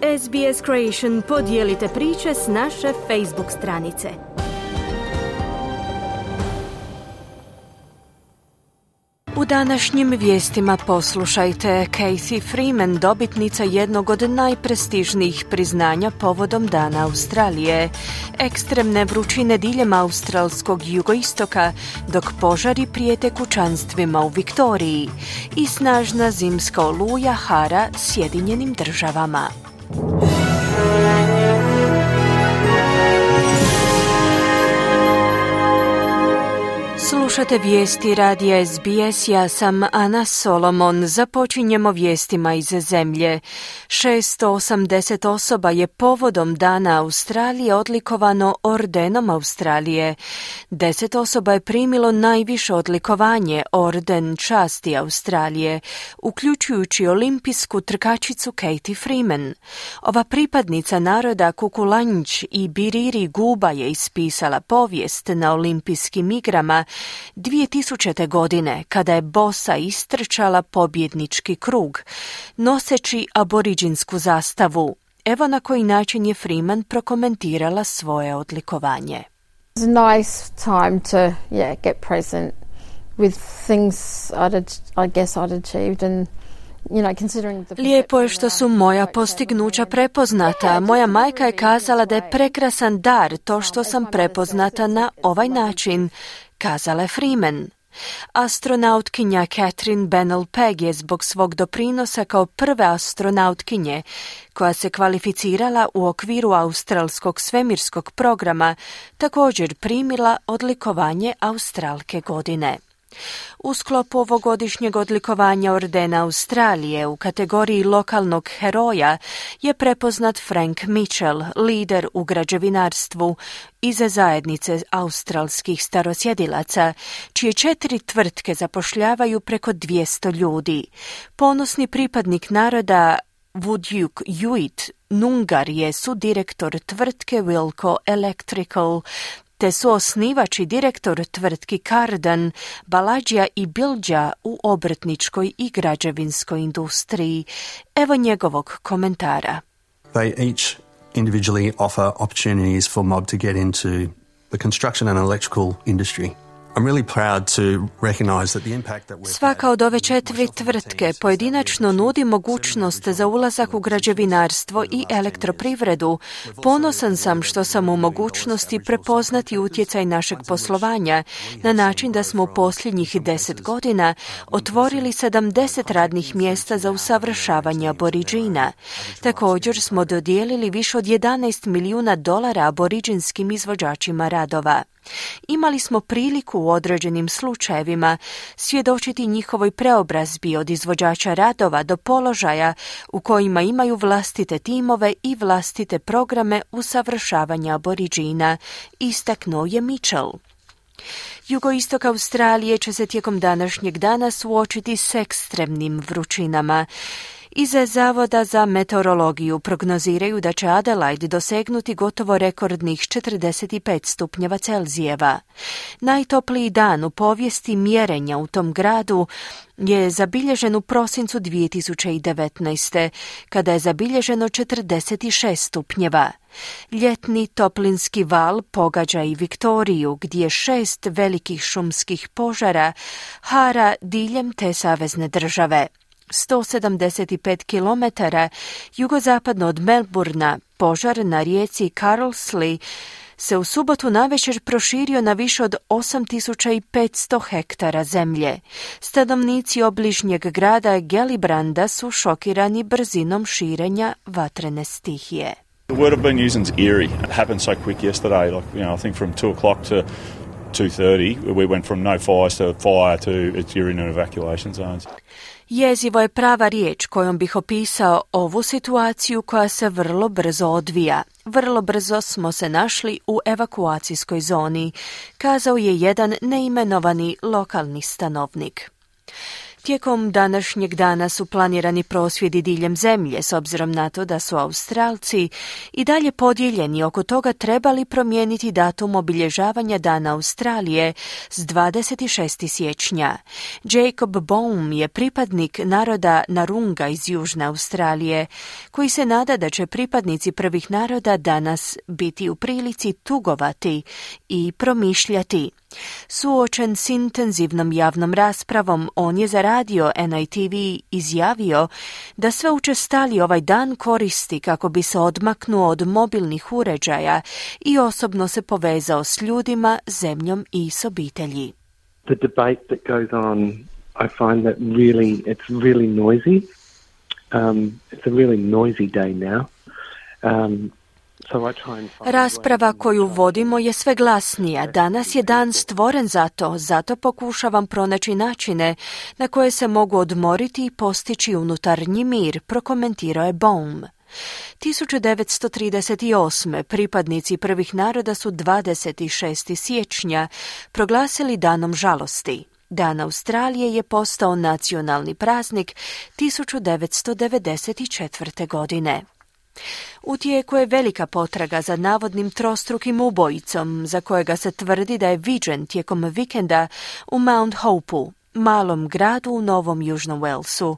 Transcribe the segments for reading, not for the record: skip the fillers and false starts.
SBS Creation, podijelite priče s naše Facebook stranice. U današnjim vijestima poslušajte: Cathy Freeman, dobitnica jednog od najprestižnijih priznanja povodom Dana Australije, ekstremne vrućine diljem australskog jugoistoka, dok požari prijete kućanstvima u Viktoriji, i snažna zimska oluja hara Sjedinjenim Državama. Slušate vijesti radija SBS, ja sam Ana Solomon. Započinjemo vijestima iz zemlje. 680 osoba je povodom Dana Australije odlikovano Ordenom Australije. 10 osoba je primilo najviše odlikovanje, Orden časti Australije, uključujući olimpijsku trkačicu Cathy Freeman. Ova pripadnica naroda Kukulanj i Biriri Guba je ispisala povijest na olimpijskim igrama 2000. godine, kada je bosa istrčala pobjednički krug, noseći aboriđinsku zastavu. Evo na koji način je Freeman prokomentirala svoje odlikovanje. It's a nice time to get present with things I'd achieved and Lijepo je što su moja postignuća prepoznata. Moja majka je kazala da je prekrasan dar to što sam prepoznata na ovaj način, kazala je Freeman. Astronautkinja Catherine Bennell-Pegg je zbog svog doprinosa kao prve astronautkinje koja se kvalificirala u okviru australskog svemirskog programa također primila odlikovanje Australke godine. U sklopu ovogodišnjeg odlikovanja Ordena Australije u kategoriji lokalnog heroja je prepoznat Frank Mitchell, lider u građevinarstvu iz zajednice australskih starosjedilaca, čije 4 tvrtke zapošljavaju preko 200 ljudi. Ponosni pripadnik naroda Wudjuk Yuit Nungar je sudirektor tvrtke Wilco Electrical, te su osnivač i direktor tvrtki Cardan, Balađija i Bilđa u obrtničkoj i građevinskoj industriji. Evo njegovog komentara. They each individually offer opportunities for mob to get into the construction and electrical industry. I'm really proud to recognize that the impact that Svaka od ove 4 tvrtke pojedinačno nudi mogućnost za ulazak u građevinarstvo i elektroprivredu. Ponosan sam što sam u mogućnosti prepoznati utjecaj našeg poslovanja na način da smo u posljednjih 10 godina otvorili 70 radnih mjesta za usavršavanje aboriđina. Također smo dodijelili više od $11 milijuna aboriđinskim izvođačima radova. Imali smo priliku u određenim slučajevima svjedočiti njihovoj preobrazbi od izvođača radova do položaja u kojima imaju vlastite timove i vlastite programe usavršavanja aboriđina, istaknuo je Mitchell. Jugoistok Australije će se tijekom današnjeg dana suočiti s ekstremnim vrućinama. Iz Zavoda za meteorologiju prognoziraju da će Adelaide dosegnuti gotovo rekordnih 45 stupnjeva Celzijeva. Najtopliji dan u povijesti mjerenja u tom gradu je zabilježen u prosincu 2019. kada je zabilježeno 46 stupnjeva. Ljetni toplinski val pogađa i Viktoriju, gdje 6 velikih šumskih požara hara diljem te savezne države. 175 km jugozapadno od Melbourna požar na rijeci Carlsley se u subotu navečer proširio na više od 8500 hektara zemlje. Stanovnici obližnjeg grada Gellibranda su šokirani brzinom širenja vatrene stihije. The word of being used is eerie. It happened so quick yesterday, I think from 2 o'clock to 2:30, we went from no fires to fire to you're in an evacuation zones. Jezivo je prava riječ kojom bih opisao ovu situaciju koja se vrlo brzo odvija. Vrlo brzo smo se našli u evakuacijskoj zoni, kazao je jedan neimenovani lokalni stanovnik. Tijekom današnjeg dana su planirani prosvjedi diljem zemlje, s obzirom na to da su Australci i dalje podijeljeni oko toga treba li promijeniti datum obilježavanja Dana Australije s 26. siječnja. Jacob Boehm je pripadnik naroda Narunga iz Južne Australije, koji se nada da će pripadnici prvih naroda danas biti u prilici tugovati i promišljati. Suočen s intenzivnom javnom raspravom, on je za radio NITV izjavio da sve učestalije ovaj dan koristi kako bi se odmaknuo od mobilnih uređaja i osobno se povezao s ljudima, zemljom i s obitelji. The debate that goes on, I find that it's really noisy. It's a really noisy day now. Rasprava koju vodimo je sve glasnija. Danas je dan stvoren zato pokušavam pronaći načine na koje se mogu odmoriti i postići unutarnji mir, prokomentirao je Boehm. 1938. pripadnici prvih naroda su 26. siječnja proglasili danom žalosti. Dan Australije je postao nacionalni praznik 1994. godine. U tijeku je velika potraga za navodnim trostrukim ubojicom, za kojega se tvrdi da je viđen tijekom vikenda u Mount Hopeu, malom gradu u Novom Južnom Walesu.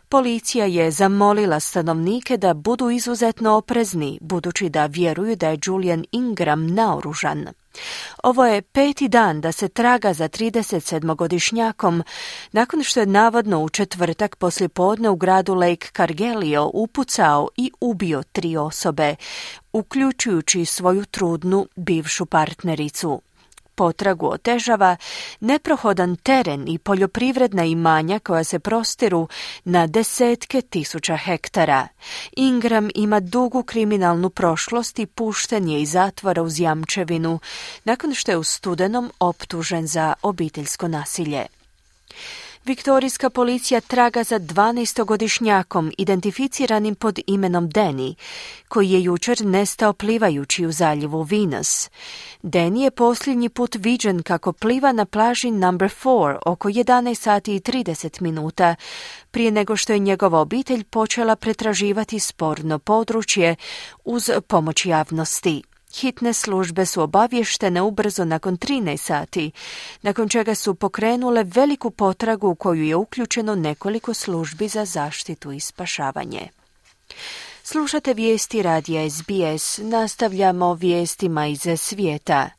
Policija je zamolila stanovnike da budu izuzetno oprezni, budući da vjeruju da je Julian Ingram naoružan. Ovo je 5. dan da se traga za 37-godišnjakom, nakon što je navodno u četvrtak poslijepodne u gradu Lake Cargelio upucao i ubio 3 osobe, uključujući svoju trudnu bivšu partnericu. Potragu otežava neprohodan teren i poljoprivredna imanja koja se prostiru na desetke tisuća hektara. Ingram ima dugu kriminalnu prošlost i pušten je iz zatvora uz jamčevinu, nakon što je u studenom optužen za obiteljsko nasilje. Viktorijska policija traga za 12-godišnjakom identificiranim pod imenom Danny, koji je jučer nestao plivajući u zaljevu Venus. Danny je posljednji put viđen kako pliva na plaži Number 4 oko 11 sati i 30 minuta, prije nego što je njegova obitelj počela pretraživati sporno područje uz pomoć javnosti. Hitne službe su obavještene ubrzo nakon 13 sati, nakon čega su pokrenule veliku potragu u koju je uključeno nekoliko službi za zaštitu i spašavanje. Slušate vijesti radija SBS, nastavljamo vijestima iz svijeta.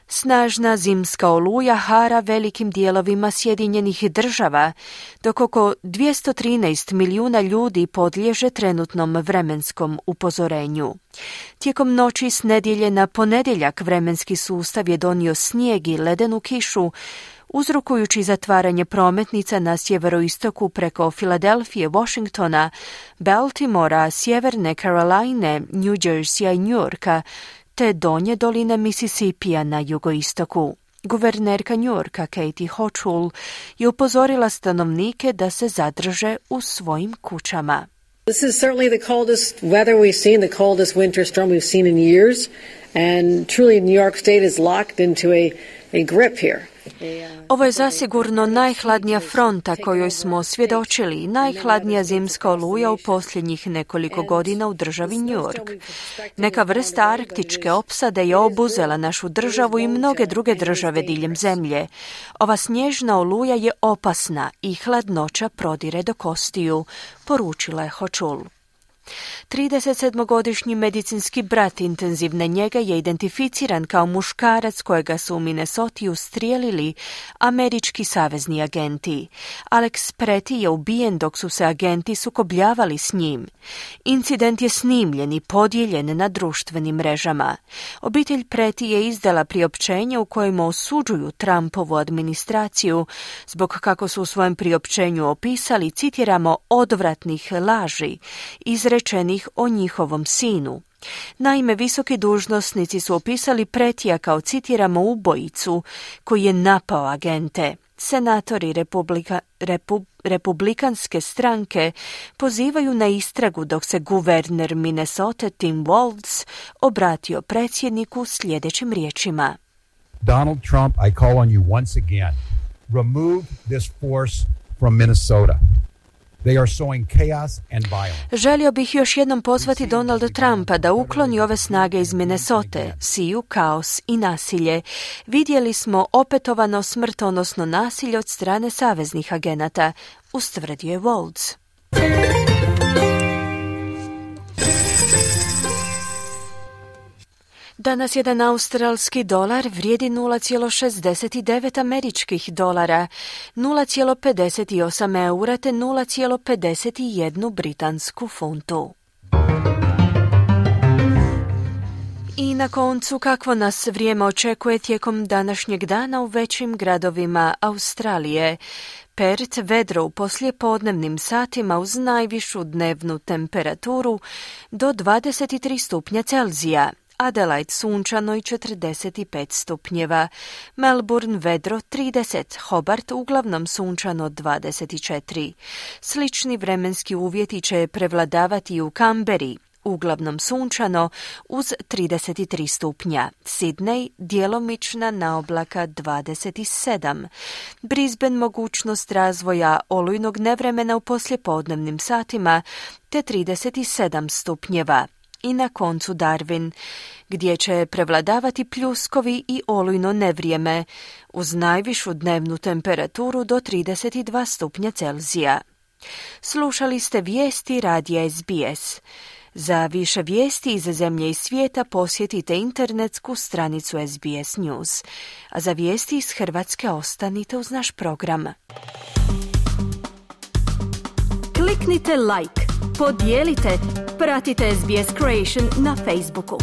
Snažna zimska oluja hara velikim dijelovima Sjedinjenih Država, dok oko 213 milijuna ljudi podliježe trenutnom vremenskom upozorenju. Tijekom noći s nedjelje na ponedjeljak vremenski sustav je donio snijeg i ledenu kišu, uzrokujući zatvaranje prometnica na sjeveroistoku preko Filadelfije, Washingtona, Baltimora, Sjeverne Caroline, New Jerseya i New Yorka, te donje doline Mississippija na jugoistoku. Guvernerka New Yorka Katie Hochul je upozorila stanovnike da se zadrže u svojim kućama. This is certainly the coldest weather we've seen, the coldest winter storm we've seen in years, and truly New York State is locked into a grip here. Ovo je zasigurno najhladnija fronta kojoj smo svjedočili, najhladnija zimska oluja u posljednjih nekoliko godina u državi New York. Neka vrsta arktičke opsade je obuzela našu državu i mnoge druge države diljem zemlje. Ova snježna oluja je opasna i hladnoća prodire do kostiju, poručila je Hochul. 37-godišnji medicinski brat intenzivne njege je identificiran kao muškarac kojega su u Minnesoti ustrijelili američki savezni agenti. Alex Preti je ubijen dok su se agenti sukobljavali s njim. Incident je snimljen i podijeljen na društvenim mrežama. Obitelj Preti je izdala priopćenje u kojemu osuđuju Trumpovu administraciju zbog, kako su u svojem priopćenju opisali, citiramo, odvratnih laži izrečenih o njihovom sinu. Naime, visoki dužnosnici su opisali Pretija kao, citiramo, ubojicu koji je napao agente. Senatori republikanske stranke pozivaju na istragu dok se guverner Minnesota Tim Walz obratio predsjedniku sljedećim riječima. Donald Trump, I call on you once again. Remove this force from Minnesota. They are sowing chaos and violence. Želio bih još jednom pozvati Donalda Trumpa da ukloni ove snage iz Minnesote, siju kaos i nasilje. Vidjeli smo opetovano smrtonosno nasilje od strane saveznih agenata, ustvrdio je Waltz. Danas jedan australski dolar vrijedi 0,69 američkih dolara, 0,58 eura te 0,51 britansku funtu. I na koncu, kakvo nas vrijeme očekuje tijekom današnjeg dana u većim gradovima Australije. Perth vedro u poslijepodnevnim satima uz najvišu dnevnu temperaturu do 23 stupnja Celzija. Adelaide sunčano i 45 stupnjeva, Melbourne vedro 30, Hobart uglavnom sunčano 24. Slični vremenski uvjeti će prevladavati i u Canberri, uglavnom sunčano uz 33 stupnja, Sydney djelomična naoblaka 27, Brisbane mogućnost razvoja olujnog nevremena u poslijepodnevnim satima te 37 stupnjeva. I na koncu Darwin, gdje će prevladavati pljuskovi i olujno nevrijeme, uz najvišu dnevnu temperaturu do 32 stupnja Celzija. Slušali ste vijesti radija SBS. Za više vijesti iz zemlje i svijeta posjetite internetsku stranicu SBS News. A za vijesti iz Hrvatske ostanite uz naš program. Kliknite like, podijelite, pratite SBS Creation na Facebooku.